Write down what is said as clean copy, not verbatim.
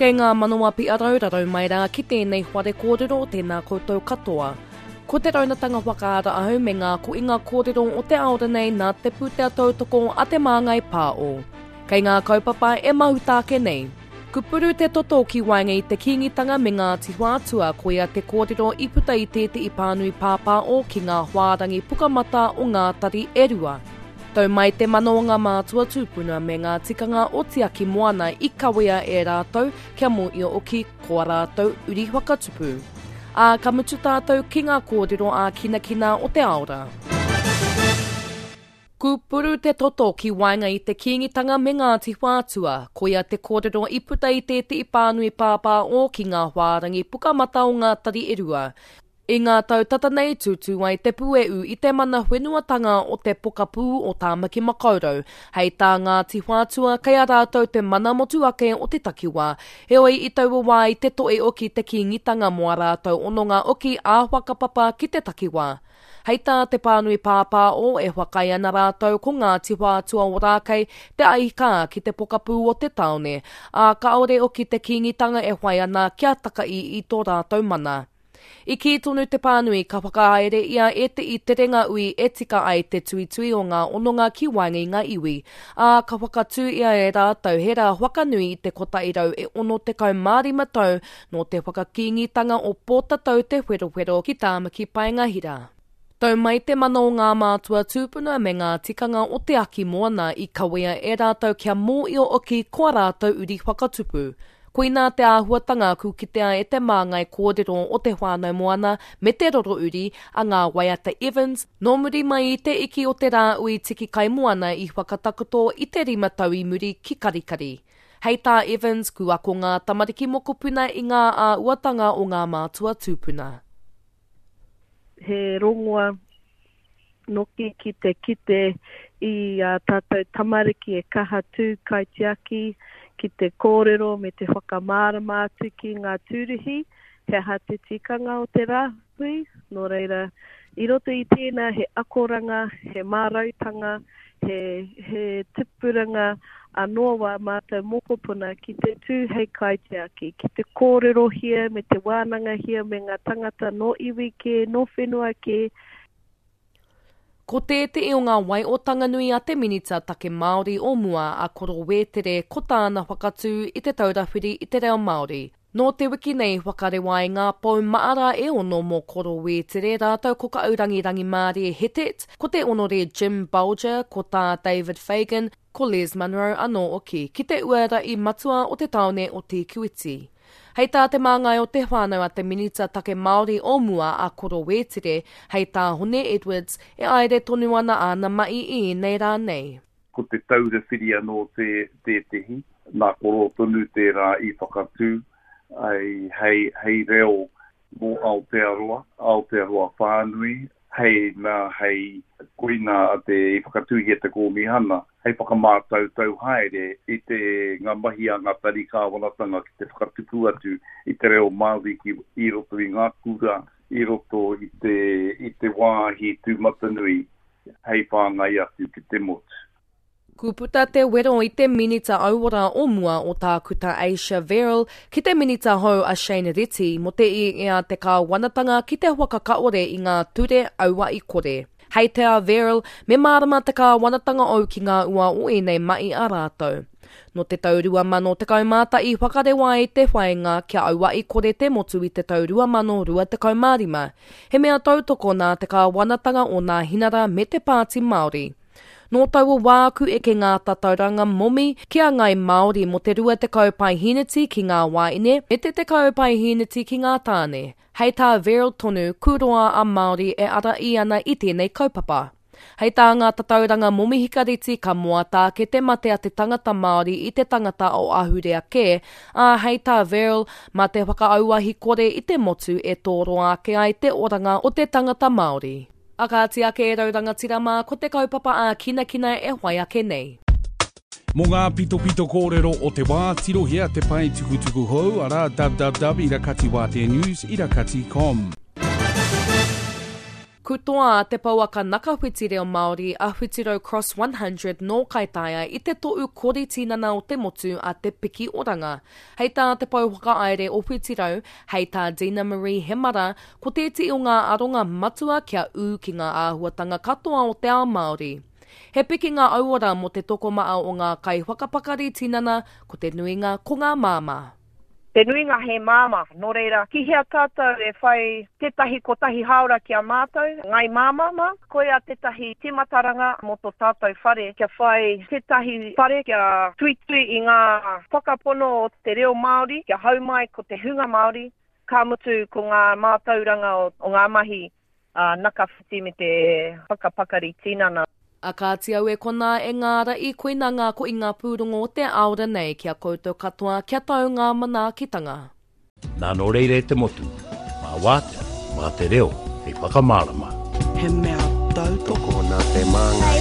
Kei ngā manawa piarau rarau mai rā ki tēnei whare kōrero tēnā koutou katoa. Ko te raunatanga whakaara ahau me ngā koinga kōrero o te ao nei nā te pūtea tautoko a Te Māngai Pāo. Kei ngā kaupapa e mahuta ake nei. Kupuru te toto ki waenga i te Kīngitanga me Ngāti Whātua koia te kōrero i puta i tētehi pānui pāpāo ki ngā whārangi pukamata o ngā tari e rua. Tau mai te mana o ngā mātua tūpuna me ngā tikanga o Tiaki Moana i kawea e rātou kia mōio oki ko a rātou uri whakatupu. Ā, ka mutu tātou ki ngā kōrero ā-kinakina o te ao rā. Kūpuru te toto ki waenga i te Kīngitanga me Ngāti Whātua, koia te kōrero i puta i tētehi pānui pāpāō ki ngā whārangi pukamata o ngā tari e rua. I ngā tau tata nei tūtū ai te puehu i te mana whenuatanga o te pokapū o Tāmaki Makaurau. Hei tā Ngāti Whātua, kei a rātou te mana motuake o te takiwā. Heoi, i taua wā i te toe oki te Kīngitanga mō ā rātou hononga oki ā-whakapapa ki te takiwā. Hei tā te pānui pāpāo, e whakaae ana rātou ko Ngāti Whātua Ōrākei te aihikā ki te pokapū o te tāone, ā, kāore oki te Kīngitanga e whai ana kia takaī i tō rātou mana. I kī tonu te pānui ka whakahaere ia e te i terenga ui e tika ai te tuitui o ngā hononga ki waenga i ngā iwi, ā, ka whakatū ia e rātou he rā whakanui i te 165 tau nō te whakakīngitanga o Pōtatau Te Wherowhero ki Tāmaki Paenga Hira. Tau mai te mana o ngā mātua tūpuna me ngā tikanga o te aki moana i kawea e rātou kia mōio oki ko a rātou uri whakatupu. Koinā te āhuatanga ku kitea e te māngai kōrero o Te Whānau Moana me Te Roro Uri a Ngā Waiata Evans, nō muri mai i te iki o te rāui tiki kaimoana i whakatakoto i te rima tau i muri ki Karikari. Hei tā Evans, ku ako ngā tamariki mokopuna i ngā āuatanga o ngā mātua tūpuna. He rongoa noki ki te kite i ā tātou tamariki e kaha tū kaitiaki ki te kōrero me te whakamārama atu ki ngā tūruhi he aha te tikanga o te rāhui. Nō reira, i roto i tēnā he akoranga, he mārautanga, he, he tupuranga anō wā mātou mokopuna ki te tū hei kaitiaki, ki te kōrerohia me te wānangahia me ngā tangata nō iwi kē, nō whenua kē. Ko tētehi o ngā waiotanga nui a te Minita Take Māori o mua a Koro Wētere ko tāna whakatū i Te Taura Whiri i te Reo Māori. Nō te wiki nei whakarewa ai ngā pou maara e ono mō Koro Wētere rātou ko Kaurangi Rangimārie Hetet, ko te Honore Jim Bolger, ko Tā David Fagan, ko Les Munro anō hoki, ki te uara-i matua o te tāone o Te Kuiti. Hei tā te māngai o te whānau a te Minita Take Māori o mua a Koro Wētere, hei tā Hone Edwards, e aere tonu ana āna mahi i ēnei rā nei. Ko Te Taura Whiri anō tētehi, nā Koro tonu tērā i whakatū hei, hei reo mō Aotearoa, Aotearoa whānui, hei, nā, hei, koinā te, i whakatūhia te kōmihana hei whakamātautau haere i te, ngā mahi a ngā tari kāwanatanga ki te whakatupu atu i te reo Māori ki, i roto i ngā kura, i roto i te, i te wāhi tūmatanui hei whāngai atu ki te motu. Ku puta te wero i te Minita Auora o mua o Tākuta Asia Verrall ki te Minita hou a Shane Reti mo te i a te kāwanatanga ki te whakakaore i ngā ture auahi kore. Hei te a Verrall, me mārama te kāwanatanga ou ki ngā ua o ēnei mahi a rātou. Nō te tau 2011 whakarewa ai te whāinga kia auahi kore te motu i te tau 2025. He mea tautoko nā te kāwanatanga o Nāhinara me te Pāti Māori. Nō taua wā ku eke ngā tatauranga momi ki a Ngāi Māori mō te 20 paeheneti ki ngā wāhine me te 10 paeheneti ki ngā tāne. Hei tā Verrill tonu, ku roa a Māori e araī ana i tēnei kaupapa. Hei tā ngā tatauranga momi hikareti ka moata ake te mate a te tangata Māori i te tangata o ahurea kē, ā, hei tā Verrill, mā te whakaauahi kore i te motu e tōroa ake ai te oranga o te tangata Māori. A kāti ake e rau rangatira mā, ko te kaupapa ā-kinakina e whai ake nei. Mō ngā pitopito kōrero o te wā, tirohia te pae tukutuku hou, arā, www.irakatiwāteanews irakati com. Ku. Kutoa a te pouaka nakawhiti reo Māori a Whitirau Cross 100 nō Kaitaia i te toʻu kori tinana o te motu a Te Piki Oranga. Hei tā te pou whakahaere o Whitirau, hei tā Dina Marie Hemara, ko tētehi o ngā aronga matua kia ū ki ngā āhuatanga katoa o te ao Māori. He pikinga auora mō te tokomaha o ngā kaiwhakapakari tinana, ko te nuinga ko ngā māmā. Te nuinga he māmā, nō reira, ki hea tātou e whai tētahi kotahi hāora ki a mātou, ngāi māmā mā? Koia tētahi tīmataranga mō tō tātou whare, kia whai tētahi whare kia tuitui i ngā whakapono o te reo Māori, kia hau mai ko te hunga Māori, ka mutu ko ngā mātauranga o ngā mahi ā, nakawhiti me te whakapakari tinana. A kāti au e konā e ngāra i koina ngā koinga pūrongo o te aora nei ki a koutou katoa kia tau ngā manaakitanga. Nā nō reira e te motu, mā wātea, mā te reo hei whakamārama. He mea tautoko. Tokona te māngai.